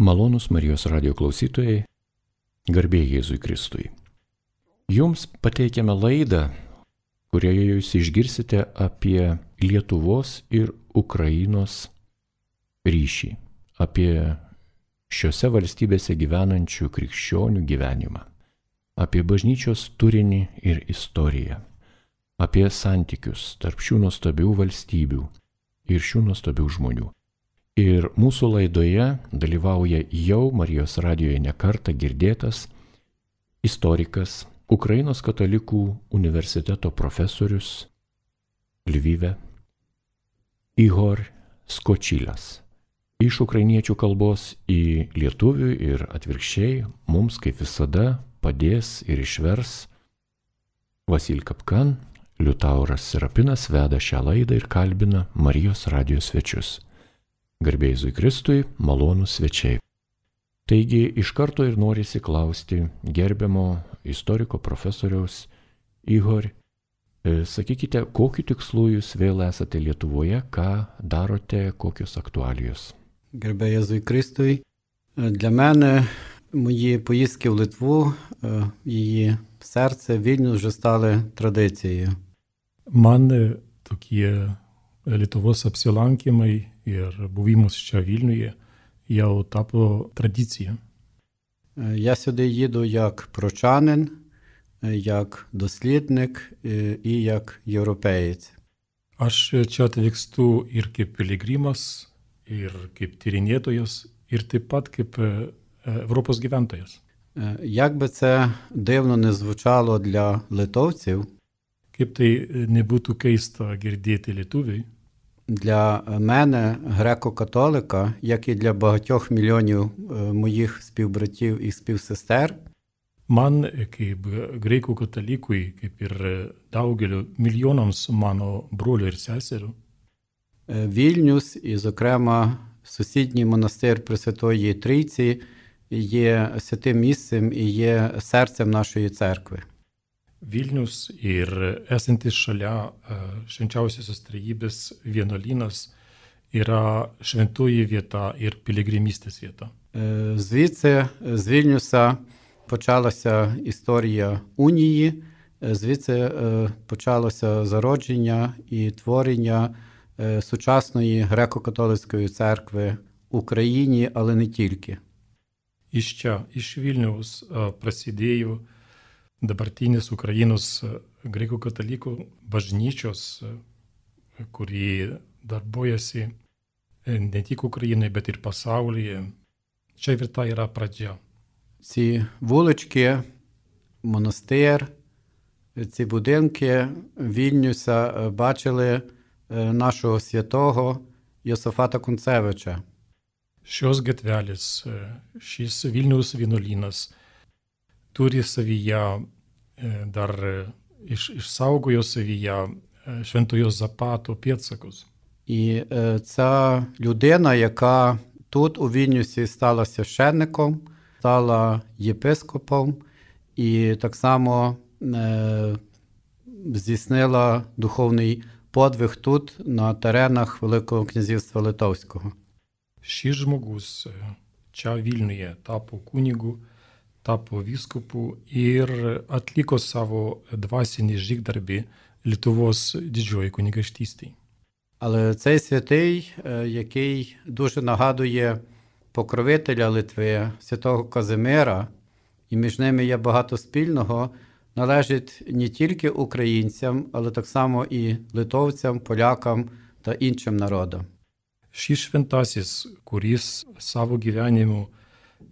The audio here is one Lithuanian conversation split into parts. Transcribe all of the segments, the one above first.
Malonūs Marijos radijo klausytojai, garbė Jėzui Kristui. Jums pateikiame laidą, kurioje jūs išgirsite apie Lietuvos ir Ukrainos ryšį, apie šiose valstybėse gyvenančių krikščionių gyvenimą, apie bažnyčios turinį ir istoriją, apie santykius tarp šių nuostabių valstybių ir šių nuostabių žmonių. Ir mūsų laidoje dalyvauja jau Marijos radijoje nekartą girdėtas istorikas, Ukrainos katalikų universiteto profesorius Lvive Ihor Skočilas. Iš ukrainiečių kalbos į lietuvių ir atvirkščiai mums kaip visada padės ir išvers Vasil Kapkan. Liutauras Serapinas veda šią laidą ir kalbina Marijos radijo svečius. Garbė Jėzui Kristui, malonūs svečiai. Taigi iš karto ir norisi klausti gerbiamo istoriko profesoriaus Ihor, sakykite, kokiu tikslu jūs vėl esate Lietuvoje, ką darote, kokios aktualijos? Гербе Єзуй Христові. Для мене мої поїздки в Литву, її серце, Вільнюс вже стали традицією. Man tokie Lietuvos apsilankymai ir buvimas čia Vilniuje jau tapo tradicija. Я сюди їду як прочанин, як дослідник і як європеєць. Aš čia atvykstu ir kaip piligrimas, ir kaip tyrinėtojas, ir taip pat kaip Europos gyventojas. Як би це дивно не звучало для литовців, Kaip tai nebūtų keista girdėti lietuviui, для мене, греко-католика, як і для багатьох мільйонів моїх співбратів і співсестер, man kaip graikų katalikui, kaip ir daugeliu milijonams mano brolių ir seserų, Вільнюс і, зокрема, сусідній монастир Пресвятої Трійці є святим місцем і є серцем нашої церкви. Vilnius ir esantis šalia švenčiausiosios trejybės vienuolynas yra šventoji vieta ir piligrimystės vieta. Звідси, з Вільнюса, почалася історія унії, звідси почалося зародження і творення сучасної греко-католицької церкви в Україні, але не тільки. Iš čia, iš Vilniaus prasidėjo dabartinis Ukrainos graikų katalikų bažnyčios, kuri darbuojasi не тільки Україною, bet ir pasaulyje. Čia vieta yra pradžia. Ці вулички, монастир, ці будинки Вільнюса бачили нашого святого Йосафата Кунцевича. Šios gatvelės, šis Vilniaus vienuolynas turi savyje, dar išsaugojo savyje Šventojo Zapato pėdsakus. І ця людина, яка тут у Вільнюсі стала священником, стала єпископом і так само здійснила духовний подвиг тут, на теренах Великого князівства Литовського. Šis žmogus čia Vilniuje tapo kunigu, tapo vyskupu ir atliko savo dvasinį žygdarbį Lietuvos didžioji kunigaikštystėje. Але цей святий, який дуже нагадує покровителя Литви, святого Казимира, і між ними є багато спільного, належить не тільки українцям, але так само і литовцям, полякам та іншим народам. Šis šventasis, kuris savo gyvenimu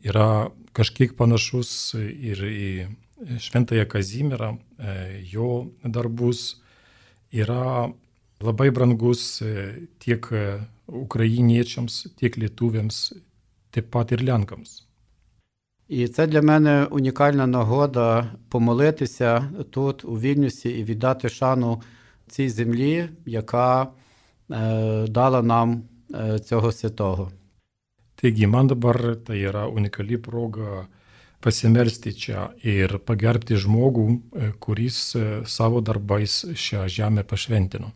yra kažkiek panašus ir į šventąją Kazimierą, jo darbus, yra labai brangus tiek ukrainiečiams, tiek lietuviams, taip pat ir lenkams. І це для мене унікальна нагода помолитися тут, у Вільнюсі, і віддати шану цій землі, яка дала нам цього святого. Taigi, man dabar tai yra unikali proga pasimelsti čia ir pagerbti žmogų, kuris savo darbais šią žemę pašventino.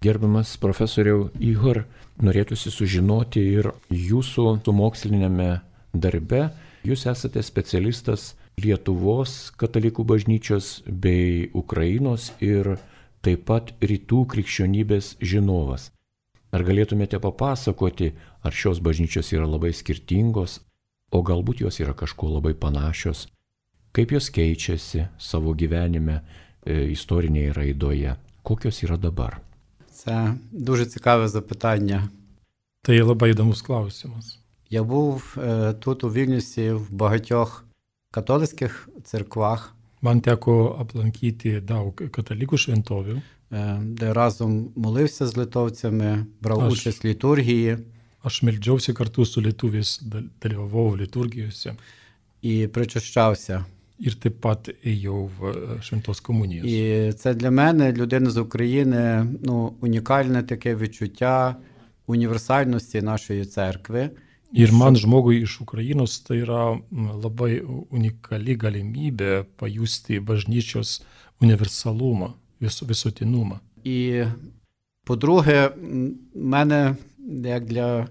Gerbiamas profesoriau Ihor, norėtųsi sužinoti ir jūsų mokslinėme darbe. Jūs esate specialistas Lietuvos katalikų bažnyčios bei Ukrainos ir taip pat rytų krikščionybės žinovas. Ar galėtumėte papasakoti, ar šios bažnyčios yra labai skirtingos, o galbūt jos yra kažkuo labai panašios? Kaip jos keičiasi savo gyvenime, istorinėje raidoje? Kokios yra dabar? Це дуже цікаве запитання. Tai labai įdomus klausimas. Я був тут у Вільнюсі в багатьох католицьких церквах, Man teko aplankyti daug katalikų šventovių. де разом молився з литовцями, брав Аж. участь в літургії Aš meldžiausi kartu su lietuviais, dalyvavau liturgijose і причащався. ir taip pat ėjau в šventos komunijos. І це для мене, людини з України, унікальне таке відчуття універсальності нашої церкви. Ir man žmogui iš Ukrainos tai yra labai unikali galimybė pajusti bažnyčios universalumą, visuotinumą. І, по-друге, в мене, як для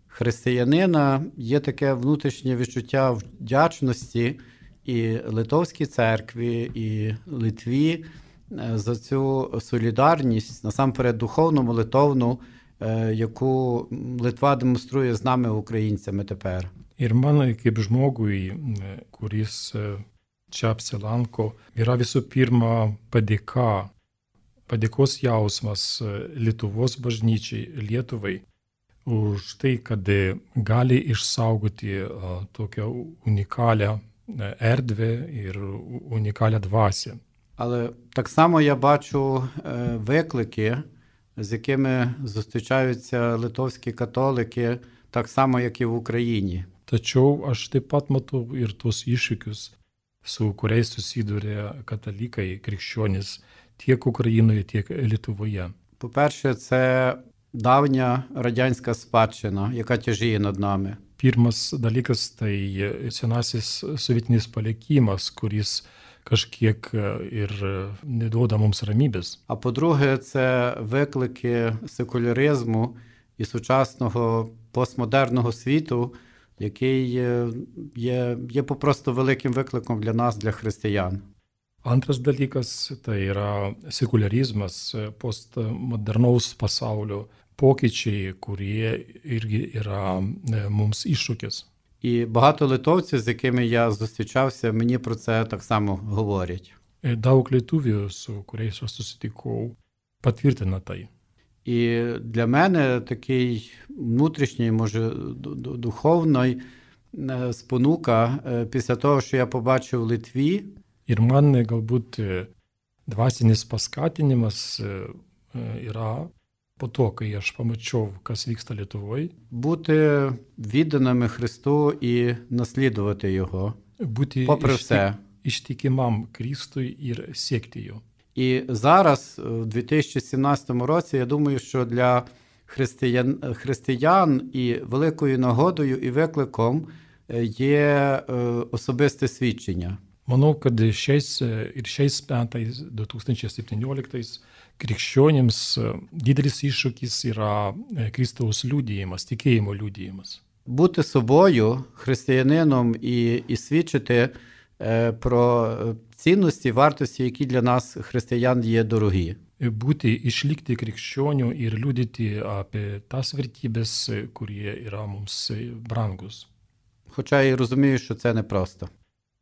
християнина, є таке внутрішнє відчуття вдячності і Литовській церкві, і Литві за цю солідарність, насамперед духовну, молитовну, яку Литва демонструє з нами, українцями, тепер. Ir man kaip žmogui, kuris čia apsilanko, yra visų pirma padėkos jausmas Lietuvos bažnyčiai, Lietuvai, už tai, kad gali išsaugoti tokią unikalią erdvę ir unikalią dvasię. Але так само я бачу виклики, з якими зустрічаються литовські католики, так само, як і в Україні. Tačiau aš taip pat matau ir tos iššūkius, su kuriais susiduria katalikai, krikščionys tiek Ukrainoje, tiek Lietuvoje. По-перше, це давня радянська спадщина, яка тяжіє над нами. Pirmas dalykas tai senasis sovietinis palikimas, kuris kažkiek ir neduoda mums ramybės. А по-друге, це виклики секуляризму і сучасного постмодерного світу, який є попросту великим викликом для нас, для християн. Antras dalykas tai yra sekularizmas, postmodernaus pasaulio pokyčiai, kurie irgi yra mums iššūkis. І багато литовців, з якими я зустрічався, мені про це так само говорять. Daug lietuvių, su kuriais aš susitikau, patvirtina tai. І для мене такий внутрішній, може, духовний спонука після того, що я побачив в Литві. Ir man galbūt dvasinis paskatinimas yra po to, kai aš pamačiau, kas vyksta Lietuvoje. Бути відданими Христу і наслідувати Його, попри все. Ištikimam Kristui ir siekti jo. І зараз, в 2017 році, я думаю, що для християн і великою нагодою і викликом є особисте свідчення. Manau, kad šiais metais, 2017, krikščionims didelis iššūkis yra Kristaus liudijimas, tikėjimo liudijimas. Бути собою, християнином і свідчити про цінності, вартості, які для нас, християн, є дорогі. Būti, išlikti krikščionių ir liudyti apie tas vertybės, kurie yra mums brangus. Хоча я розумію, що це непросто.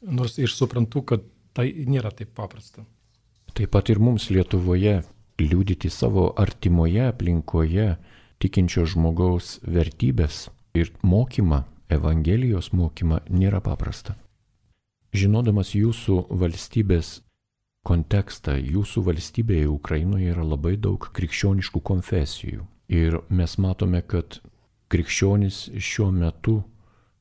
Nors ir suprantu, kad tai nėra taip paprasta. Taip pat ir mums Lietuvoje liudyti savo artimoje aplinkoje tikinčio žmogaus vertybės ir mokymą, Evangelijos mokymą nėra paprasta. Žinodamas jūsų valstybės kontekstą, jūsų valstybėje Ukrainoje yra labai daug krikščioniškų konfesijų. Ir mes matome, kad krikščionys šiuo metu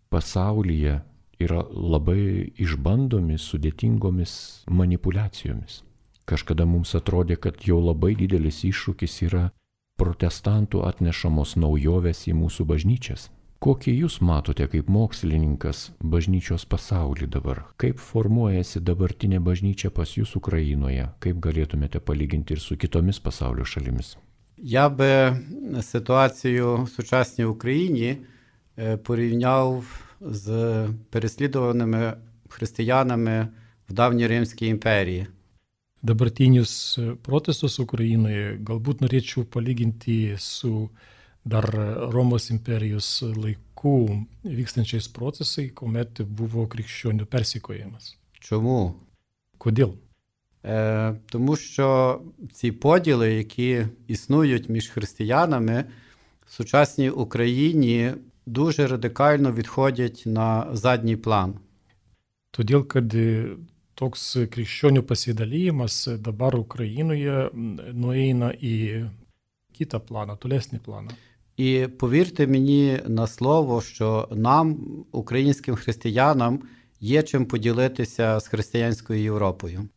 pasaulyje yra labai išbandomi sudėtingomis manipulacijomis. Kažkada mums atrodė, kad jau labai didelis iššūkis yra protestantų atnešamos naujovės į mūsų bažnyčias. Kokį jūs matote kaip mokslininkas bažnyčios pasaulį dabar? Kaip formuojasi dabartinė bažnyčia pas jūs Ukrainoje? Kaip galėtumėte palyginti ir su kitomis pasaulio šalimis? Я би ситуацію в сучасній Україні порівняв з переслідуваними християнами в давній Римській імперії. Dabartinius protestus Ukrainoje galbūt norėčiau palyginti su dar Romos imperijos laikų vykstančiais procesai, kuomet buvo krikščionių persekiojimas. Чому? Kodėl? Тому що ці поділи, які існують між християнами, в сучасній Україні дуже радикально відходять на задній план. Todėl, kad toks krikščionių pasidalijimas dabar Ukrainoje nueina į kitą planą, tolesnį planą. І повірте мені на слово, що нам, українським християнам, є чим поділитися з християнською Європою.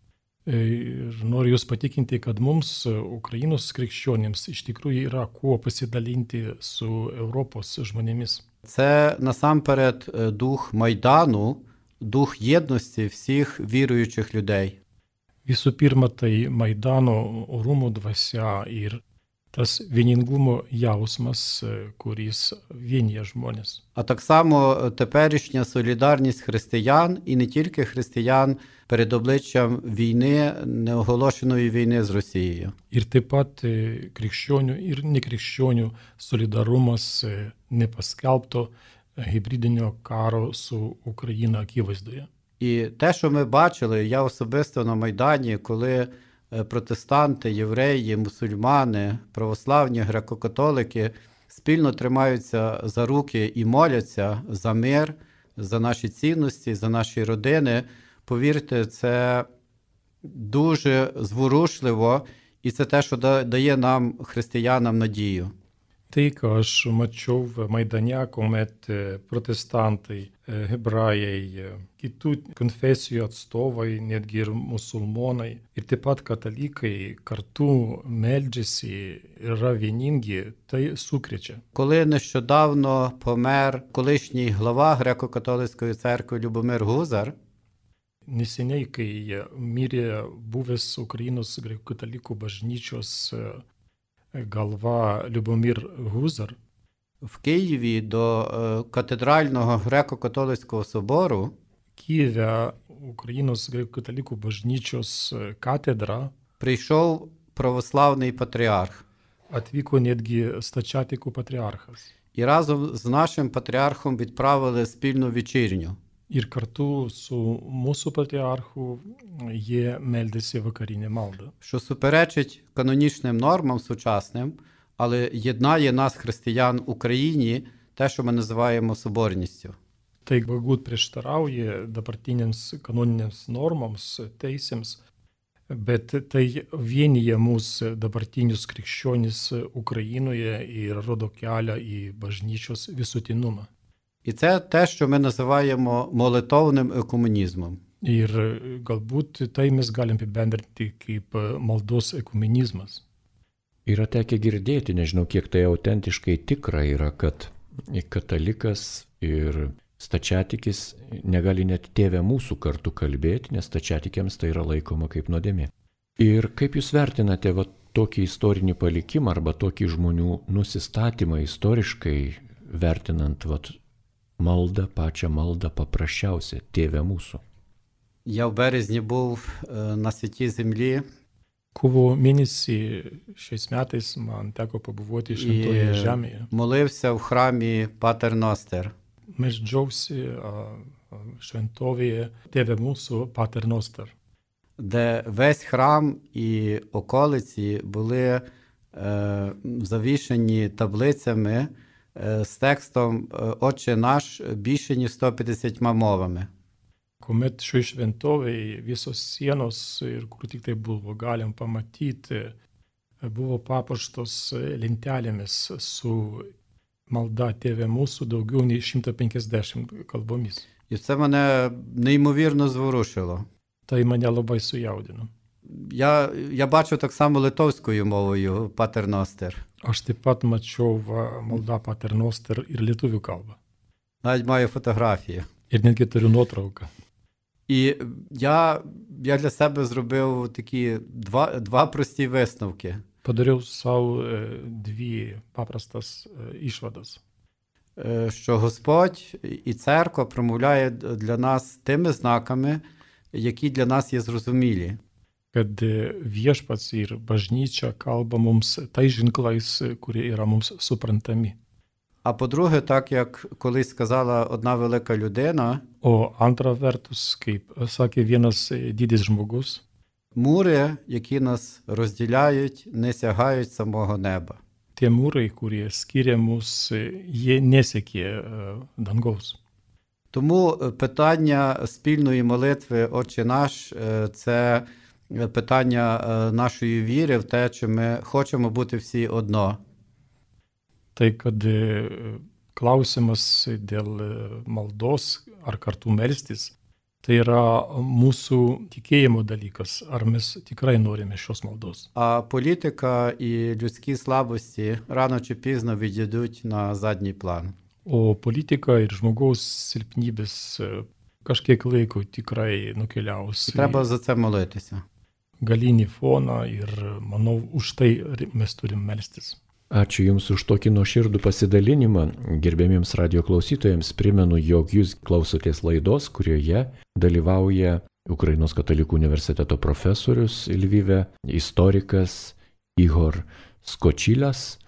Ir noriu Jūs patikinti, kad mums, Ukrainos krikščionims, iš tikrųjų yra kuo pasidalinti su Europos žmonėmis. Це насамперед дух Майдану, дух єдності всіх віруючих людей. Visų pirma, tai Maidano orumo dvasia ir tas vieningumo jausmas, kuris vienyje žmonės. А так само теперішня солідарність християн, і не тільки християн, перед обличчям війни, неоголошеної війни з Росією. Ir taip pat krikščionių ir nekrikščionių solidarumas nepaskelbto hibridinio karo su Ukraina akivaizdoje. І те, що ми бачили, я особисто на Майдані, коли протестанти, євреї, мусульмани, православні, греко-католики спільно тримаються за руки і моляться за мир, за наші цінності, за наші родини, повірте, це дуже зворушливо, і це те, що дає нам, християнам, надію. Tai, ką aš mačiau Maidane, kuomet protestantai, hebrajai, kitų konfesijų atstovai, netgi ir musulmonai, ir taip pat katalikai kartu meldžiasi, yra vieningi, tai sukrečia. Коли нещодавно помер колишній глава Греко-католицької церкви Любомир Гузар, Neseniai, kai mirė buvęs Ukrainos graikų-katalikų bažnyčios galva Любомир Гузар, в Києві до катедрального Греко-католицького собору Kijeve Ukrainos graikų-katalikų bažnyčios katedra прийшов православний патріарх. atvyko netgi stačiatikų patriarchas. І разом з нашим патріархом відправили спільну вечірню. Ir kartu su mūsų patriarchu jie meldėsi vakarinę maldą. Що суперечить канонічним нормам сучасним, але єднає нас, християн, в Україні, те, що ми називаємо соборністю. Tai galbūt prieštarauja dabartinėms kanoninėms normoms, teisėms, bet tai vienyje mūsų dabartinius krikščionis Ukrainoje ir rodo kelią į bažnyčios visuotinumą. І це те, що ми називаємо молитовним екуменізмом. Ir galbūt tai mes galim apibendrinti kaip maldos ekumenizmas. Yra tekę girdėti, nežinau kiek tai autentiškai tikra yra, kad katalikas ir stačiatikis negali net tėvę mūsų kartu kalbėti, nes stačiatikiams tai yra laikoma kaip nuodėmė. Ir kaip jūs vertinate tokį istorinį palikimą arba tokį žmonių nusistatymą istoriškai vertinant maldą, pačią maldą paprasčiausia, tėvę mūsų? Я в березні був на Святій Землі. Kovo mėnesį šiais metais man teko pabuvoti Šventojoje žemėje. Молився в храмі Патер Ностер. Meldžiausi šventovėje Tėve mūsų Pater Noster, де весь храм і околиці були завішені таблицями з текстом «Отче наш» більше ніж 150 мовами. kuomet šioje šventovėje visos sienos ir kur tik tai buvo galim pamatyti, buvo papuoštos lentelėmis su malda Tėve mūsų daugiau nei 150 kalbomis. І це мене неймовірно зворушило. Tai mane labai sujaudino. Я бачу так само литовською мовою Патер Ностер. Aš taip pat mačiau maldą Pater Noster ir lietuvių kalbą. Навіть маю фотографію. Ir netgi turiu nuotrauką. І я для себе зробив такі два прості висновки. Padariau savo дві paprastas išvadas. Що Господь і церква промовляє для нас тими знаками, які для нас є зрозумілі. Kad viešpats ir bažnyčia kalba mums tais ženklais, kurie yra mums suprantami. А по-друге, так як колись сказала одна велика людина, O antra vertus, kaip sakė vienas didis žmogus, мури, які нас розділяють, не сягають самого неба. tie mūrai, kurie skiria mus, jie nesiekė dangaus. Тому питання спільної молитви «Отче наш» – це питання нашої віри в те, чи ми хочемо бути всі одно. Tai kad klausimas dėl maldos ar kartu melstis, tai yra mūsų tikėjimo dalykas, ar mes tikrai norime šios maldos. А політика і людські слабості рано чи пізно відійдуть на задній план. O politika ir žmogaus silpnybės kažkiek laiko tikrai nukeliaus Треба за це молитися. galinį foną ir manau, už tai mes turim melstis. Ačiū Jums už tokį nuoširdų pasidalinimą. Gerbėmiems radio klausytojams primenu, jog Jūs klausotės laidos, kurioje dalyvauja Ukrainos katalikų universiteto profesorius Lvive, istorikas Ihor Skočilas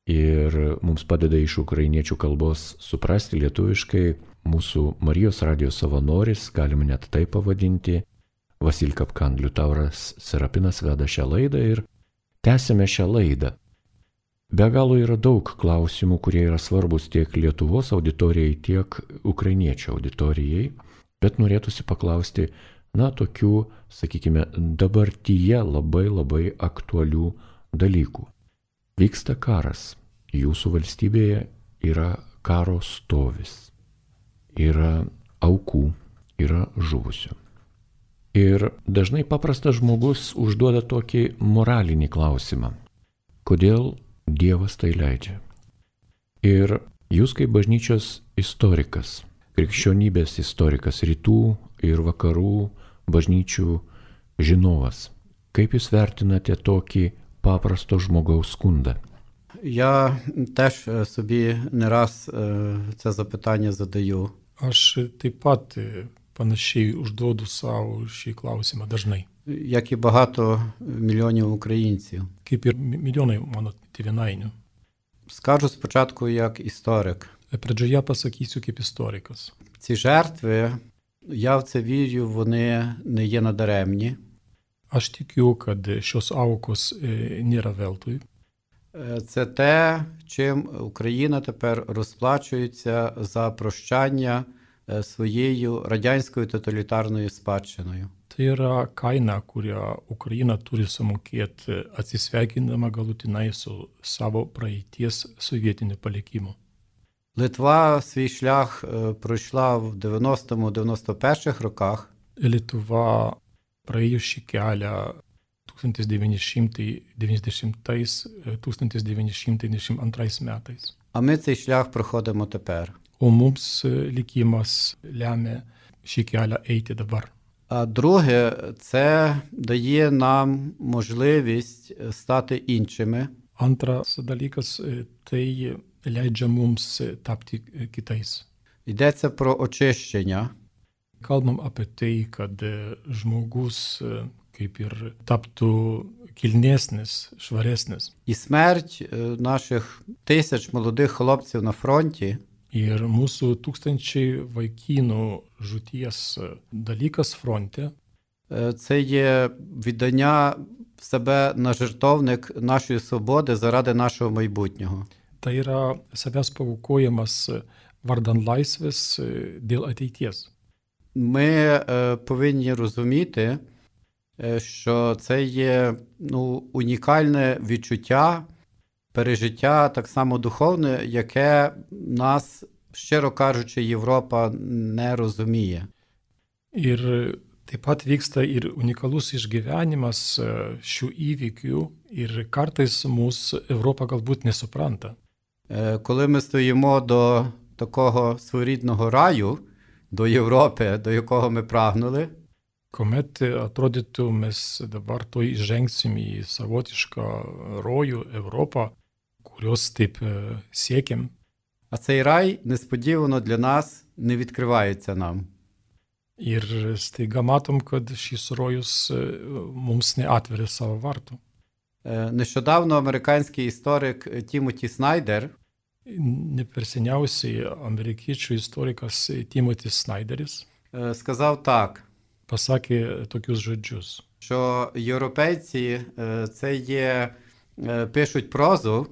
ir mums padeda iš ukrainiečių kalbos suprasti lietuviškai mūsų Marijos radio savanoris, galime net tai pavadinti. Vasil Kapkan, Liutauras Serapinas veda šią laidą ir tęsime šią laidą. Be galo yra daug klausimų, kurie yra svarbus tiek Lietuvos auditorijai, tiek ukrainiečių auditorijai, bet norėtųsi paklausti, tokių, sakykime, dabartyje labai aktualių dalykų. Vyksta karas, jūsų valstybėje yra karo stovis, yra aukų, yra žuvusių. Ir dažnai paprastas žmogus užduoda tokį moralinį klausimą. Kodėl Dievas tai leidžia? Ir jūs kaip bažnyčios istorikas, krikščionybės istorikas, rytų ir vakarų bažnyčių žinovas, kaip jūs vertinate tokį paprasto žmogaus skundą? Я теж собі не раз це запитання задаю. Aš taip pat panašiai užduodu savo šį klausimą dažnai. Як і багато мільйонів українців. Kaip ir milijonai mano tėvynainių. Скажу спочатку як історик. Pradžioje pasakysiu kaip istorikas. Ці жертви, я в це вірю, вони не є надаремні. Aš tikiu, kad šios aukos nėra veltui. Це те, чим Україна тепер розплачується за прощання своєю радянською тоталітарною спадщиною. Tai yra kaina, kurią Ukraina turi sumokėti atsisveikindama galutinai su savo praeities sovietiniu palikimu. Литва свій шлях пройшла в 90-91 роках. Lietuva praėjo šį kelią 1990-1992 metais. А ми цей шлях проходимо тепер. O mums likimas lemia šį kelią eiti dabar. А друге, це дає нам можливість стати іншими. Antras dalykas, tai leidžia mums tapti kitais. Йдеться про очищення. Kalbam apie tai, kad žmogus kaip ir taptų kilnesnis, švaresnis. І смерть наших тисяч молодих хлопців на фронті Ir mūsų tūkstančiai vaikinų žūties dalykas fronte це є віддання себе на жертовник нашої свободи заради нашого майбутнього. tai yra savęs paaukojimas vardan laisvės dėl ateities. Ми повинні розуміти, що це є унікальне відчуття, пережиття так само духовне, яке нас, щиро кажучи, Європа не розуміє. Ir taip pat vyksta ir unikalus išgyvenimas šių įvykių ir kartais mūsų Europa galbūt nesupranta. Коли ми стоїмо до такого своєрідного раю, до Європи, до якого ми прагнули, Kuomet atrodytų mes dabar to įžengsim į savotišką rojų Europą, kurios taip siekiam. А цей рай несподівано для нас не відкривається нам. Ir staiga matom, kad šis rojus mums neatveria savo vartų. Нещодавно американський історик Тімоті Снайдер Ne per seniausiai amerikiečių istorikas Timotis Snyderis сказав так, pasakė tokius žodžius. що європейці це є, пишуть прозу,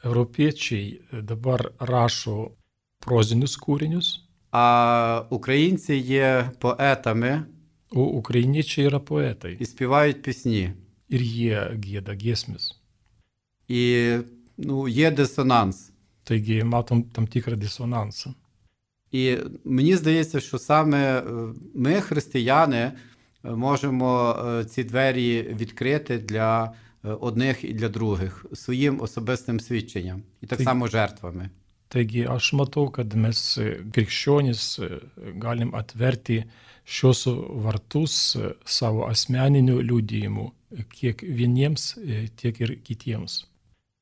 Europiečiai dabar rašo prozinius kūrinius, а українці є поетами o ukrainiečiai yra poetai і співають пісні. ir jie gieda giesmes. І є дисонанс. Taigi matom tam tikrą disonansą. І мені здається, що саме ми, християни, можемо ці двері відкрити для одних і для других своїм особистим свідченням. І так само жертвами. Taigi aš matau, kad mes krikščionys galim atverti šios vartus savo asmeniniu liudijimu kiek vieniems, tiek ir kitiems.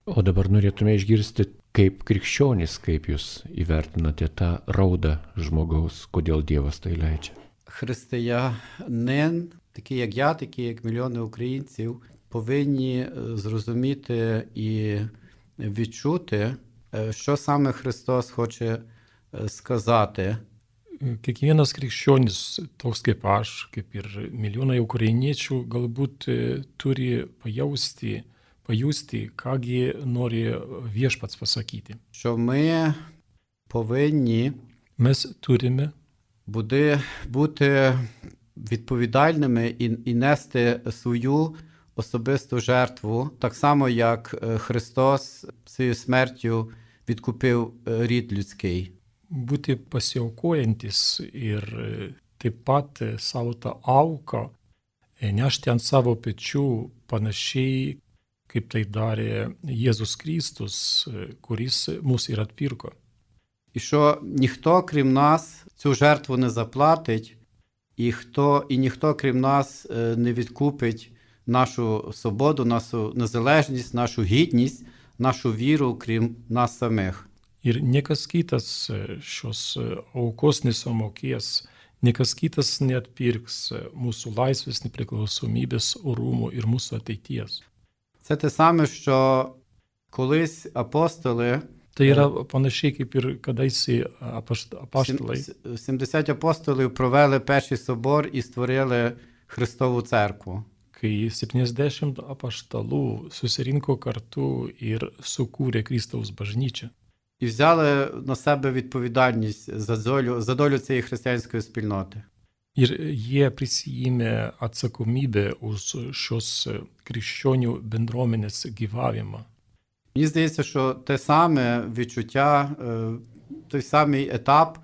O dabar norėtume išgirsti, kaip krikščionys, kaip jūs įvertinate tą raudą žmogaus, kodėl Dievas tai leidžia. Християнин, такий як я, такі як мільйони українців, повинні зрозуміти і відчути, що саме Христос хоче сказати. Kiekvienas krikščionis, toks kaip aš, kaip ir milijonai ukrainiečių, galbūt turi pajusti, kągi nori viešpats pasakyti. Що ми повинні Mes turime бути відповідальними і нести свою особисту жертву, так само, як Христос своєю смертю відкупив рід людський. būti pasiaukojantis ir taip pat savo tą auką nešti ant savo pečių panašiai, kaip tai darė Jėzus Kristus, kuris mus ir atpirko. І що ніхто, крім нас, цю жертву не заплатить, і ніхто, крім нас, не відкупить нашу свободу, нашу незалежність, нашу гідність, нашу віру, крім нас самих. Ir niekas kitas šios aukos nesumokės, niekas kitas neatpirks mūsų laisvės, nepriklausomybės, orumo ir mūsų ateities. Це те саме, що колись апостоли, Tai yra panašiai kaip ir kadaise apaštalai. 70 апостолів провели перший собор і створили Христову церкву. Kai 70 apaštalų susirinko kartu ir sukūrė Kristaus bažnyčią. І взяли на себе відповідальність за долю цієї християнської спільноти. Ir jie prisijėmė atsakomybę už šios krikščionių bendruomenės gyvavimą. Мені здається, що те саме відчуття, той самий етап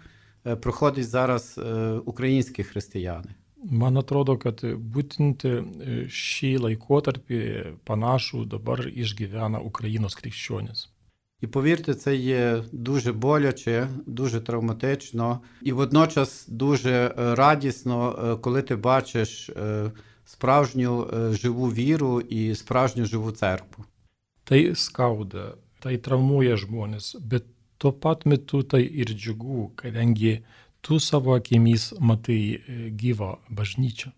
проходить зараз українські християни. Man atrodo, kad būtent šį laikotarpį panašų dabar išgyvena Ukrainos krikščionis. І повірте, це є дуже боляче, дуже травматично і водночас дуже радісно, коли ти бачиш справжню живу віру і справжню живу церкву. Tai skauda, tai traumuoja žmonės, bet tuo pat metu tai ir džiugu, kadangi tu savo akimis matai gyvą bažnyčią.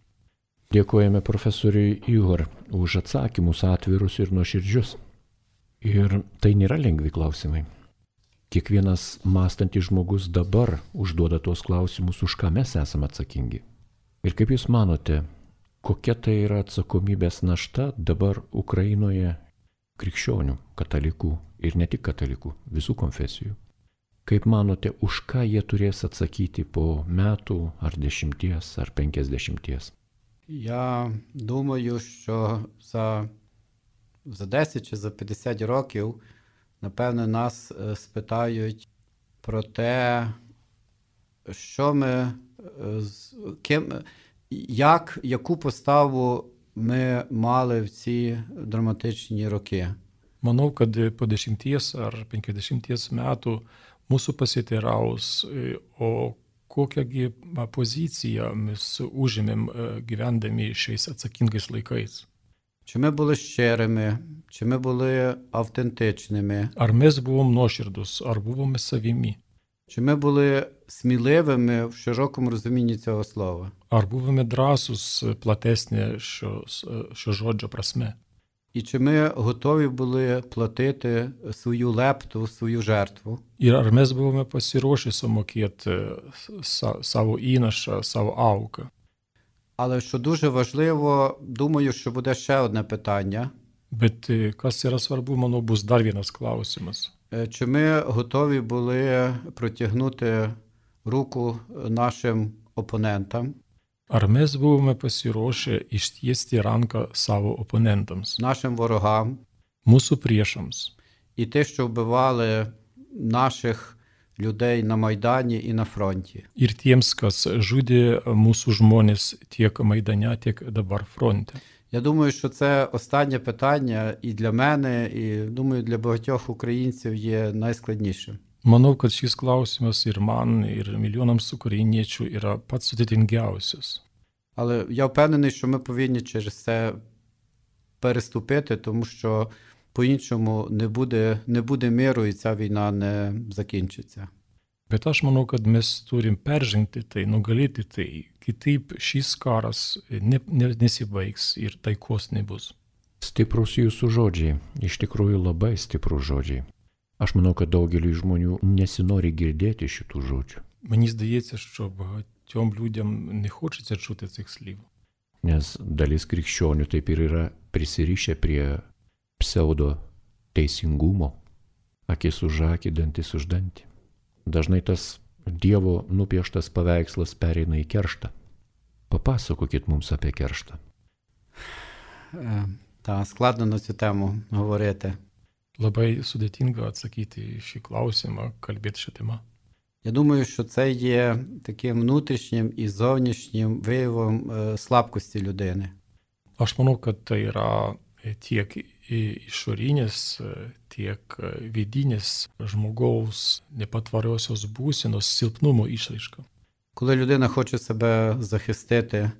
Dėkojame profesoriui Igor už atsakymus atvirus ir nuoširdžius. Ir tai nėra lengvi klausimai. Kiekvienas mąstantis žmogus dabar užduoda tuos klausimus, už ką mes esame atsakingi. Ir kaip Jūs manote, kokia tai yra atsakomybės našta dabar Ukrainoje krikščionių, katalikų ir ne tik katalikų, visų konfesijų? Kaip manote, už ką jie turės atsakyti po metų, ar 10, ar 50? Я думаю, що за 10 чи за 50 років, напевно, нас спитають про те, що ми, яку поставу ми мали в ці драматичні роки. Manau, kad po 10 ar 50 metų mūsų pasiteiraus, o kokiągi poziciją mes užėmėm gyvendami šiais atsakingais laikais. Чи ми були щирими, чи ми були автентичними, Ar mes buvom nuoširdus, ar buvome savimi, чи ми були сміливими в широкому розумінні цього слова. ar buvome drąsus platesnė šio žodžio prasme. І чи ми готові були платити свою лепту, свою жертву. Ir ar mes buvome pasiruošę sumokėti savo įnašą, savo auką. Але що дуже важливо, думаю, що буде ще одне питання. Bet kas yra svarbu, manau, bus dar vienas klausimas. Чи ми готові були протягнути руку нашим опонентам, Ar mes buvome pasiruošę ištiesti ranką savo oponentams, нашим ворогам, mūsų priešams і ті, що вбивали наших людей на Майдані і на фронті. ir tiems, kas žudė mūsų žmonės tiek Maidane, tiek dabar fronte. Я думаю, що це останнє питання і для мене, і, думаю, для багатьох українців є найскладнішим. Manau, kad šis klausimas ir man, ir milijonams ukrainiečių yra pats sudėtingiausias. Але я впевнений, що ми повинні через це переступити, тому що по-іншому не буде миру і ця війна не закінчиться. Bet aš manau, kad mes turim peržengti tai, nugalėti tai, kitaip šis karas nesibaigs ir taikos nebus. Stiprus jūsų žodžiai, iš tikrųjų labai stiprus žodžiai. Aš manau, kad daugeliu žmonių nesinori girdėti šitų žodžių. Мені здається, що багатьом людям не хочеться чути цих слів. Nes dalis krikščionių taip ir yra prisirišę prie pseudo teisingumo, akis už akį, dantis už dantį. Dažnai tas Dievo nupieštas paveikslas pereina į kerštą. Papasakokit mums apie kerštą. Та складно на цю тему говорити. Labai sudėtinga atsakyti į šį klausimą, kalbėti šią temą. Я думаю, що це є таким внутрішнім і зовнішнім виявом слабкості людини. Aš manau, kad tai yra tiek išorinės, tiek vidinės žmogaus nepatvariosios būsenos silpnumo išraiška. Коли людина хоче себе захистити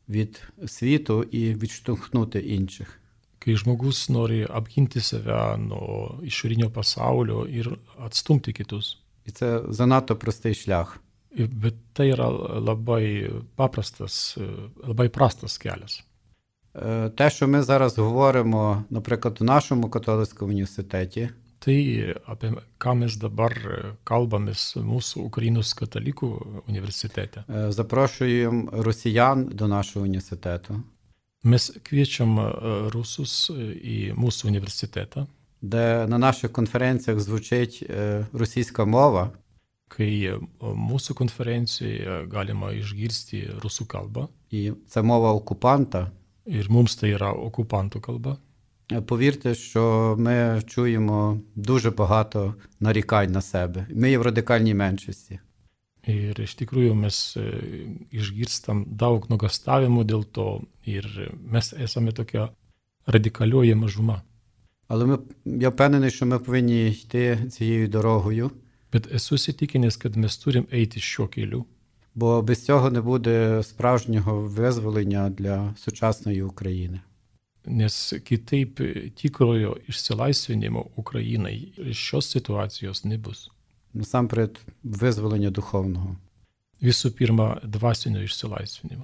від світу і відштовхнути інших. Kai žmogus nori apginti save nuo išorinio pasaulio ir atstumti kitus. І це занадто простий шлях. Bet tai yra labai prastas kelias. Те, що ми зараз говоримо, наприклад, у нашому католицькому університеті, Tai, apie ką mes dabar kalbamės mūsų Ukrainos katalikų universitete. запрошуємо росіян до нашого університету, Mes kviečiam rusus į mūsų universitetą, де на наших конференціях звучить російська мова, kai mūsų konferencijoje galima išgirsti rusų kalbą і це мова окупанта. ir mums tai yra okupantų kalba. Повірте, що ми чуємо дуже багато нарікань на себе. Ми є в радикальній меншості. Ir iš tikrųjų mes išgirstam daug nuogastavimų dėl to ir mes esame tokia radikalioji mažuma. Але я впевнений, що ми повинні йти цією дорогою, Bet esu įsitikinęs, kad mes turim eiti šiuo keliu, бо без цього не буде справжнього визволення для сучасної України. nes kitaip tikrojo išsilaisvinimo Ukrainai šios situacijos nebus. Насамперед, визволення духовного. Visų pirma, dvasinio išsilaisvinimo.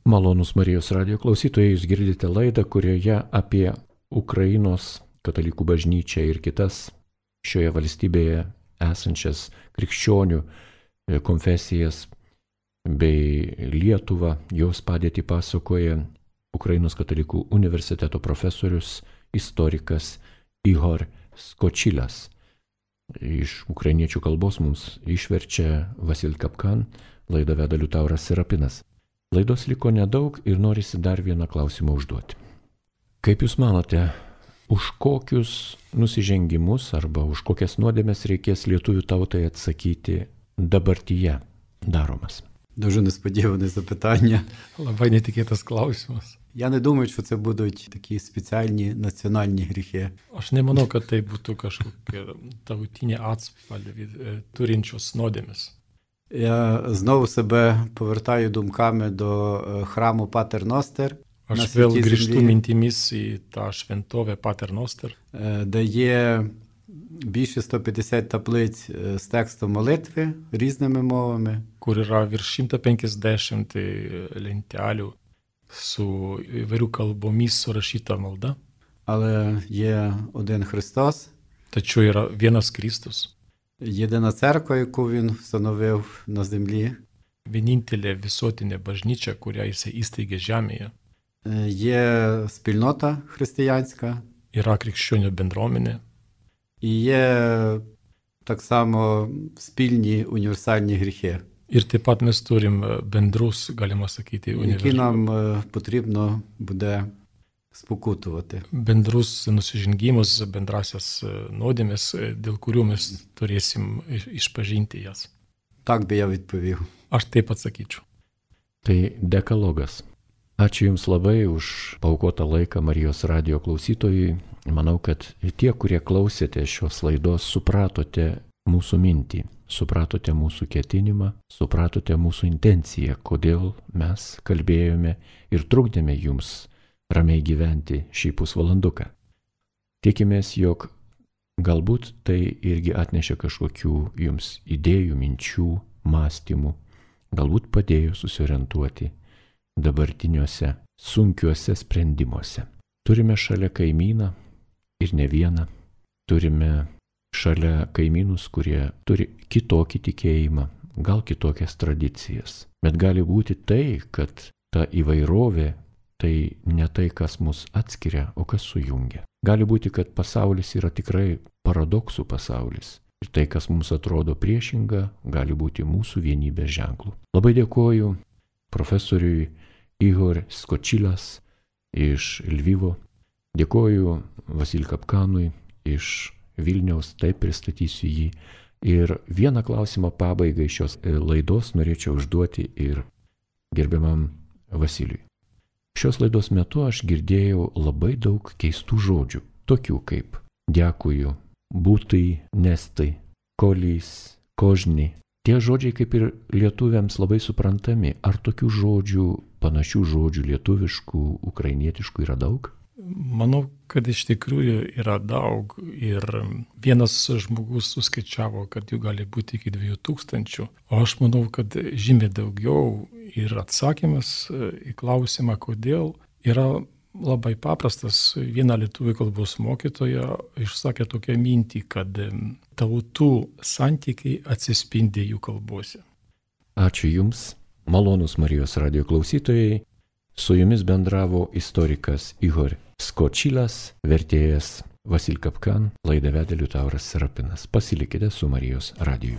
Malonus Marijos radijo klausytojai, jūs girdite laidą, kurioje apie Ukrainos katalikų bažnyčią ir kitas šioje valstybėje esančias krikščionių konfesijas bei Lietuvą, jos padėtį pasakoja Ukrainos katalikų universiteto profesorius, istorikas Ihor Skočilas. Iš ukrainiečių kalbos mums išverčia Vasil Kapkan, laidą veda Liutauras Serapinas. Laidos liko nedaug ir norisi dar vieną klausimą užduoti. Kaip Jūs manote, už kokius nusižengimus arba už kokias nuodėmes reikės lietuvių tautai atsakyti dabartyje daromas? Дуже несподіване запитання. Labai netikėtas klausimas. Я не думаю, що це будуть такі спеціальні національні гріхи. Aš nemanau, kad tai būtų kažkokia tautinė atspalvį turinčios nuodėmės. Я знову себе повертаю думками до храму Патер Ностер. Aš vėl grįžtu mintimis į tą šventovę Pater Noster, де є більше 150 таблиць з текстом молитви різними мовами. kur yra virš 150 lentelių su įvairių kalbomis surašyta malda. Але є один Христос, Tačiau yra vienas Kristus, єдина церква, яку Він встановив на землі. vienintelė visuotinė bažnyčia, kurią jisai įsteigė žemėje. Є спільнота християнська, Yra krikščionių bendruomenė і є так само спільні універсальні гріхи, ir taip pat mes turim bendrus, galima sakyti, які нам потрібно буде спокутувати. bendrus nusižengimus, bendrasias nuodėmes, dėl kurių mes turėsim išpažinti jas. Так би я відповів. Aš taip atsakyčiau. Tai dekalogas. Ačiū Jums labai už paaukotą laiką Marijos radijo klausytojui. Manau, kad tie, kurie klausėte šios laidos, supratote mūsų mintį, supratote mūsų ketinimą, supratote mūsų intenciją, kodėl mes kalbėjome ir trukdėme Jums ramiai gyventi šį pusvalanduką. Tikimės, jog galbūt tai irgi atnešė kažkokių Jums idėjų, minčių, mąstymų, galbūt padėjo susiorientuoti dabartiniuose sunkiuose sprendimuose. Turime šalia kaimyną ir ne vieną. Turime šalia kaimynus, kurie turi kitokį tikėjimą, gal kitokias tradicijas. Bet gali būti tai, kad ta įvairovė tai ne tai, kas mus atskiria, o kas sujungia. Gali būti, kad pasaulis yra tikrai paradoksų pasaulis. Ir tai, kas mums atrodo priešinga, gali būti mūsų vienybės ženklų. Labai dėkoju profesoriui Ihor Skočilas iš Lvivo. Dėkoju Vasilij Kapkanui iš Vilniaus, taip pristatysiu jį. Ir vieną klausimą pabaigai šios laidos norėčiau užduoti ir gerbiamam Vasilijui. Šios laidos metu aš girdėjau labai daug keistų žodžių, tokių kaip dėkuju, būtai, nestai, kolys, kožni. Tie žodžiai kaip ir lietuviams labai suprantami. Ar tokių žodžių, panašių žodžių lietuviškų, ukrainietiškų yra daug? Manau, kad iš tikrųjų yra daug ir vienas žmogus suskaičiavo, kad jų gali būti iki 2000, o aš manau, kad žymiai daugiau ir atsakymas į klausimą, kodėl, yra labai paprastas. Viena lietuvių kalbos mokytoja išsakė tokią mintį, kad tautų santykiai atsispindi jų kalbose. Ačiū Jums, malonūs Marijos radijo klausytojai. Su Jumis bendravo istorikas Ihor Skočilas, vertėjas Vasilij Kapkan, laidą vedė Liutauras Serapinas. Pasilikite su Marijos radiju.